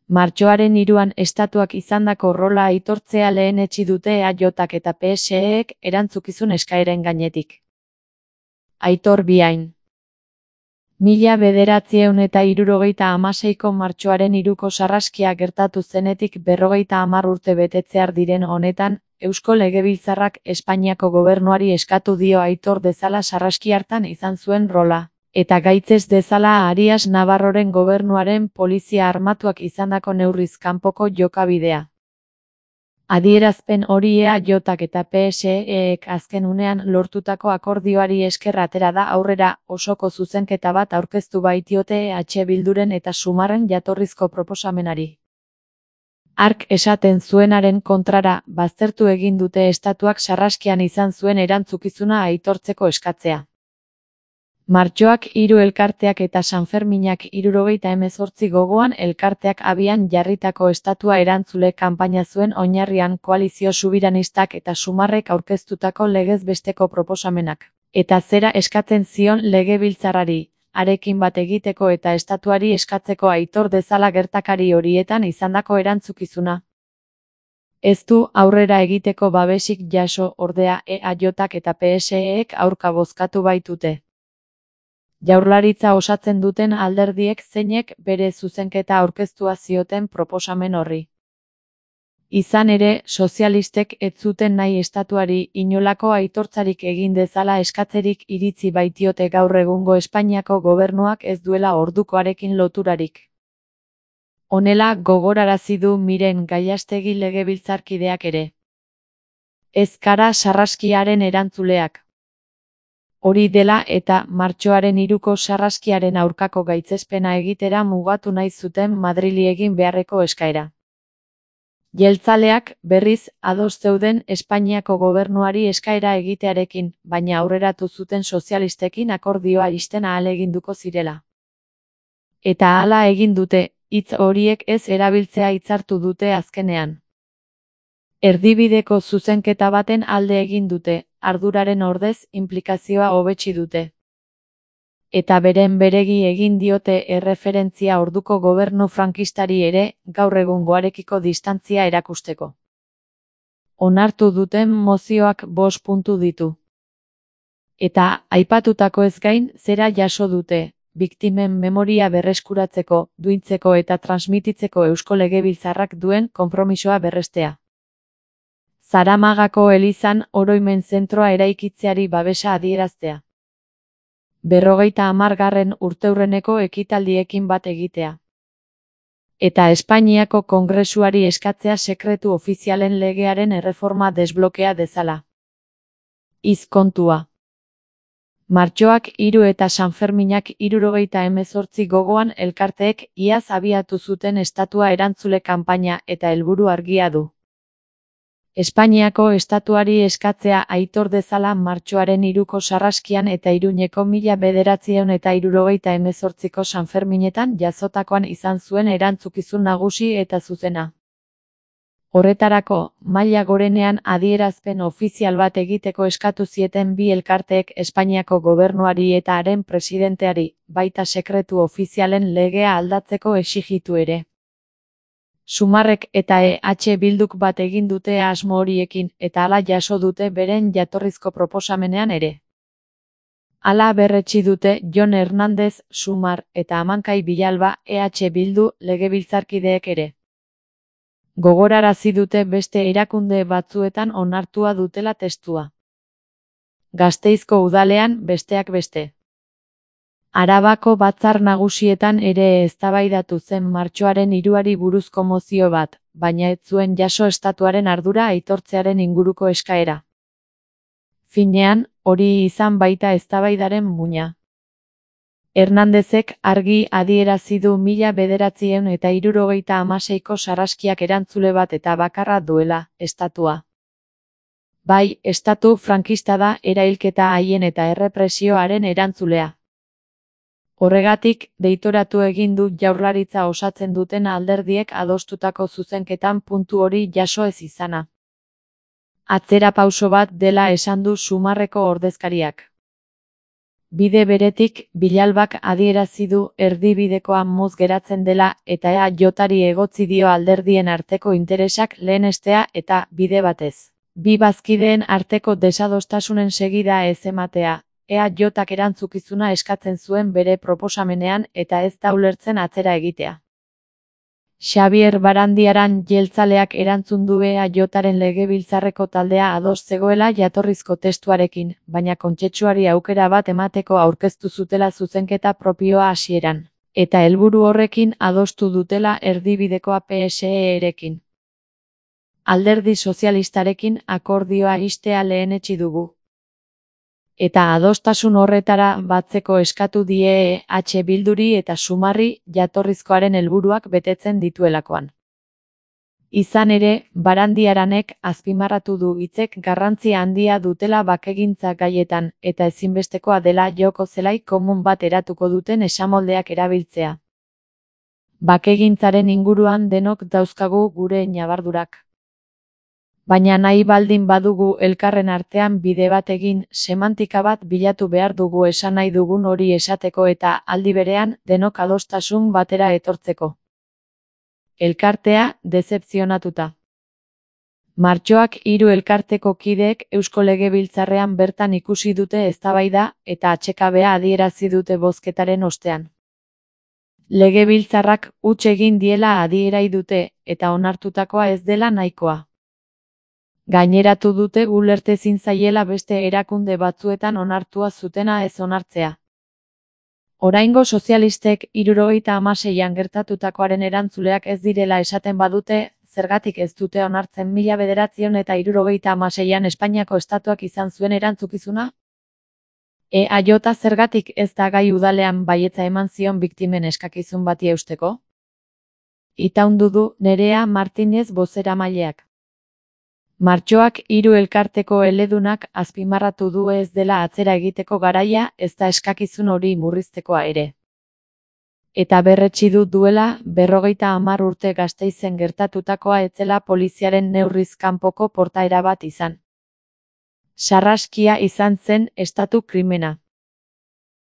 Martxoaren 3an estatuak izandako rola aitortzea lehenetsi dute EAJak eta PSEek erantzukizun eskaeren gainetik. Aitor Biain. 1976ko martxoaren 3ko sarraskia gertatu zenetik 50 urte betetzear diren honetan, Eusko Legebiltzarrak Espainiako gobernuari eskatu dio aitor dezala sarraski hartan izan zuen rola, eta gaitzez dezala Arias Navarroren gobernuaren polizia armatuak izandako neurriz kanpoko jokabidea. Adierazpen hori EAJak eta PSEek azken unean lortutako akordioari esker atera da aurrera, osoko zuzenketa bat aurkeztu baitiote EH Bilduren eta Sumarren jatorrizko proposamenari. Hark esaten zuenaren kontrara, baztertu egin dute estatuak sarraskian izan zuen erantzukizuna aitortzeko eskatzea. Martxoak 3 elkarteak eta Sanferminak 78 gogoan elkarteak abian jarritako estatua erantzule kanpaina zuen oinarrian koalizio subiranistak eta Sumarrek aurkeztutako legez besteko proposamenak. Eta zera eskatzen zion Legebiltzarrari, arekin bat egiteko eta estatuari eskatzeko aitor dezala gertakari horietan izandako erantzukizuna. Ez du aurrera egiteko babesik jaso, ordea EAJak eta PSEek aurka bozkatu baitute. Jaurlaritza osatzen duten alderdiek zeinek bere zuzenketa aurkeztua zioten proposamen horri. Izan ere, sozialistek ez zuten nahi estatuari inolako aitortzarik egin dezala eskatzerik iritzi baitiote gaur egungo Espainiako gobernuak ez duela ordukoarekin loturarik. Honela gogorarazi du Miren Gallastegi legebiltzarkideak ere. Ez gara sarraskiaren erantzuleak. Hori dela eta martxoaren 3ko sarraskiaren aurkako gaitzespena egitera mugatu nahi zuten Madrili egin beharreko eskaera. Jeltzaleak, berriz, ados zeuden Espainiako gobernuari eskaera egitearekin, baina aurreratu zuten sozialistekin akordioa isten ahaleginduko zirela. Eta hala egin dute, hitz horiek ez erabiltzea hitzartu dute azkenean. Erdibideko zuzenketa baten alde egin dute, arduraren ordez inplikazioa hobetsi dute. Eta beren beregi egin diote erreferentzia orduko gobernu frankistari ere, gaur egungoarekiko distantzia erakusteko. Onartu duten mozioak 5 puntu ditu. Eta, aipatutako ez gain, zera jaso dute, biktimen memoria berreskuratzeko, duintzeko eta transmititzeko Eusko Legebiltzarrak duen konpromisoa berrestea. Zaramagako elizan oroimen zentroa eraikitzeari babesa adieraztea. 50. urteurreneko ekitaldiekin bat egitea. Eta Espainiako Kongresuari eskatzea sekretu ofizialen legearen erreforma desblokea dezala. Izkontua. Martxoak 3 eta Sanferminak 78 gogoan elkarteek iaz abiatu zuten estatua erantzule kanpaina eta helburu argia du. Espainiako estatuari eskatzea aitor dezala martxoaren 3ko sarraskian eta Iruñeko 1978ko Sanferminetan jazotakoan izan zuen erantzukizun nagusi eta zuzena. Horretarako, maila gorenean adierazpen ofizial bat egiteko eskatu zieten bi elkarteek Espainiako gobernuari eta haren presidenteari, baita sekretu ofizialen legea aldatzeko exijitu ere. Sumarrek eta EH Bilduk bat egin dute asmo horiekin eta hala jaso dute beren jatorrizko proposamenean ere. Hala berretsi dute Jon Hernández, Sumar eta Amankai Bilalba, EH Bildu legebiltzarkideek ere. Gogorarazi dute beste erakunde batzuetan onartua dutela testua. Gasteizko udalean besteak beste. Arabako batzar nagusietan ere eztabaidatu zen martxoaren 3ari buruzko mozio bat, baina ez zuen jaso estatuaren ardura aitortzearen inguruko eskaera. Finean, hori izan baita eztabaidaren muina. Hernándezek argi adierazi du 1976ko sarraskiak erantzule bat eta bakarra duela, estatua. Bai, estatu frankista da erailketa haien eta errepresioaren erantzulea. Horregatik, deitoratu egin du Jaurlaritza osatzen duten alderdiek adostutako zuzenketan puntu hori jaso ez izana. Atzera pauso bat dela esan du Sumarreko ordezkariak. Bide beretik, Vilalbak adierazi du erdibidekoa motz geratzen dela eta EAJari egotzi dio alderdien arteko interesak lehenestea eta, bide batez, bi bazkideen arteko desadostasunen segida ez ematea. EAJak erantzukizuna eskatzen zuen bere proposamenean eta ez da ulertzen atzera egitea. Xabier Barandiaran jeltzaleak erantzun du EAJaren legebiltzarreko taldea ados zegoela jatorrizko testuarekin, baina kontsentsuari aukera bat emateko aurkeztu zutela zuzenketa propioa hasieran, eta helburu horrekin adostu dutela erdibidekoa PSE-rekin. Alderdi sozialistarekin akordioa ixtea lehenetsi dugu. Eta adostasun horretara batzeko eskatu die EH Bilduri eta Sumarri jatorrizkoaren helburuak betetzen dituelakoan. Izan ere, Barandiaranek azpimarratu du hitzek garrantzia handia dutela bakegintza gaietan eta ezinbestekoa dela joko zelai komun bat eratuko duten esamoldeak erabiltzea. Bakegintzaren inguruan denok dauzkagu gure ñabardurak. Baina nahi baldin badugu elkarren artean bide bat egin, semantika bat bilatu behar dugu esan nahi dugun hori esateko eta, aldi berean, denok adostasun batera etortzeko. Elkartea, dezepzionatuta. Martxoak 3 elkarteko kideek Eusko Legebiltzarrean bertan ikusi dute eztabaida eta atsekabea adierazi dute bozketaren ostean. Legebiltzarrak huts egin diela adierai dute eta onartutakoa ez dela nahikoa. Gaineratu dute ulertezin zaiela beste erakunde batzuetan onartua zutena ez onartzea. Oraingo sozialistek 76an gertatutakoaren erantzuleak ez direla esaten badute, zergatik ez dute onartzen 1976an Espainiako estatuak izan zuen erantzukizuna? EAJ zergatik ez da gai udalean baietza eman zion biktimen eskakizun bati eusteko? Itaundu du Nerea Martinez bozeramaileak. Martxoak 3 elkarteko eledunak azpimarratu du ez dela atzera egiteko garaia ezta eskakizun hori murriztekoa ere. Eta berretsi du duela 50 urte Gasteizen gertatutakoa ez zela poliziaren neurriz kanpoko portaera bat izan. Sarraskia izan zen estatu krimena.